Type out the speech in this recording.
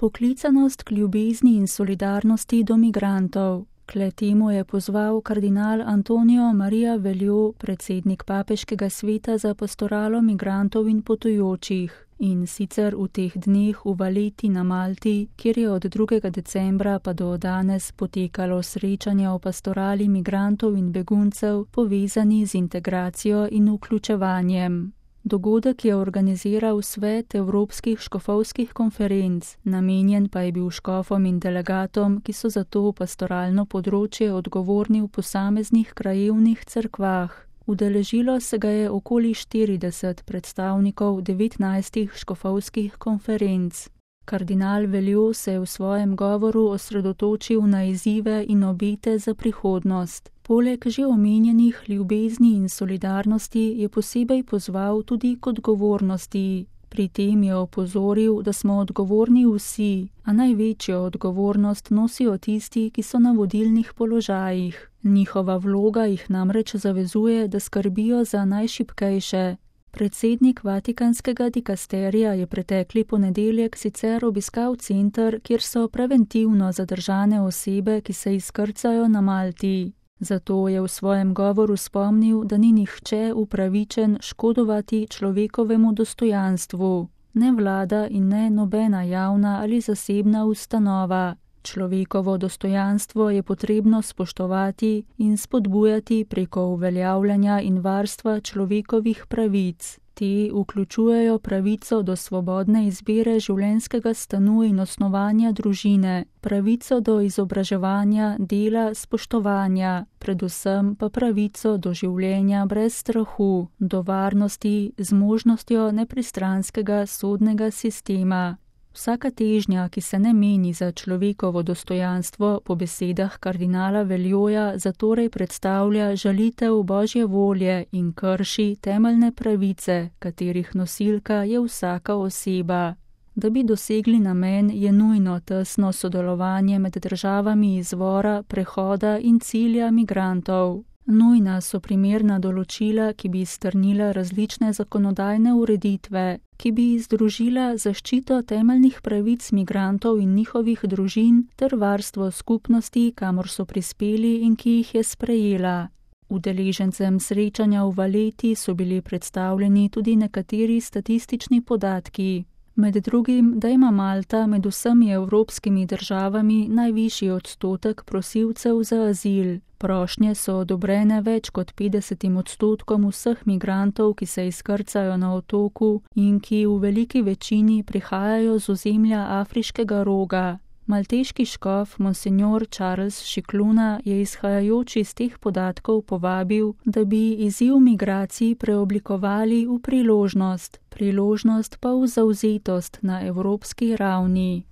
Poklicanost k ljubezni in solidarnosti do migrantov. K temu je pozval kardinal Antonio Maria Veljo, predsednik Papeškega sveta za pastoralo migrantov in potujočih. In sicer v teh dneh v Valletti na Malti, kjer je od 2. decembra pa do danes potekalo srečanje o pastorali migrantov in beguncev, povezani z integracijo in vključevanjem. Dogodek je organiziral Svet evropskih škofovskih konferenc, namenjen pa je bil škofom in delegatom, ki so za to pastoralno področje odgovorni v posameznih krajevnih cerkvah. Udeležilo se ga je okoli 40 predstavnikov 19 škofovskih konferenc. Kardinal Veljo se je v svojem govoru osredotočil na izzive in obete za prihodnost. Poleg že omenjenih ljubezni in solidarnosti je posebej pozval tudi k odgovornosti. Pri tem je opozoril, da smo odgovorni vsi, a največjo odgovornost nosijo tisti, ki so na vodilnih položajih. Njihova vloga jih namreč zavezuje, da skrbijo za najšibkejše. Predsednik Vatikanskega dikasterija je pretekli ponedeljek sicer obiskal center, kjer so preventivno zadržane osebe, ki se izkrcajo na Malti. Zato je v svojem govoru spomnil, da ni nihče upravičen škodovati človekovemu dostojanstvu, ne vlada in ne nobena javna ali zasebna ustanova. Človekovo dostojanstvo je potrebno spoštovati in spodbujati preko uveljavljanja in varstva človekovih pravic. Te vključujejo pravico do svobodne izbire življenjskega stanu in osnovanja družine, pravico do izobraževanja, dela, spoštovanja, predvsem pa pravico do življenja brez strahu, do varnosti z možnostjo nepristranskega sodnega sistema. Vsaka težnja, ki se ne meni za človekovo dostojanstvo, po besedah kardinala Veljoja zatorej predstavlja žalitev Božje volje in krši temeljne pravice, katerih nosilka je vsaka oseba. Da bi dosegli namen, je nujno tesno sodelovanje med državami izvora, prehoda in cilja migrantov. Nujna so primerna določila, ki bi strnila različne zakonodajne ureditve, ki bi združila zaščito temeljnih pravic migrantov in njihovih družin ter varstvo skupnosti, kamor so prispeli in ki jih je sprejela. Udeležencem srečanja v Valletti so bili predstavljeni tudi nekateri statistični podatki. Med drugim, da ima Malta med vsemi evropskimi državami najvišji odstotek prosilcev za azil. Prošnje so odobrene več kot 50% vseh migrantov, ki se izkrcajo na otoku in ki v veliki večini prihajajo z ozemlja Afriškega roga. Malteški škof Monsignor Charles Šikluna je izhajajoč iz teh podatkov povabil, da bi izziv migracij preoblikovali v priložnost pa v zavzetost na evropski ravni.